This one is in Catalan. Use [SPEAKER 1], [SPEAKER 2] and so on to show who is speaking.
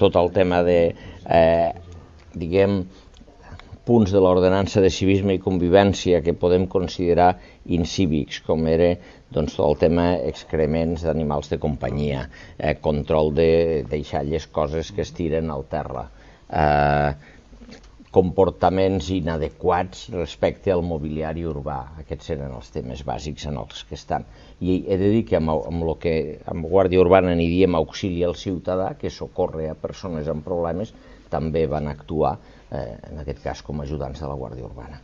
[SPEAKER 1] tot el tema de, diguem, punts de l'ordenança de civisme i convivència que podem considerar incívics, com era doncs, tot el tema excrements d'animals de companyia, control de deixar les coses que es tiren al terra, comportaments inadequats respecte al mobiliari urbà. Aquests eren els temes bàsics en els que estan. I he de dir que amb el que amb Guàrdia Urbana n'hi diem auxili al ciutadà, que socorre a persones amb problemes, també van actuar, en aquest cas com a ajudants de la Guàrdia Urbana.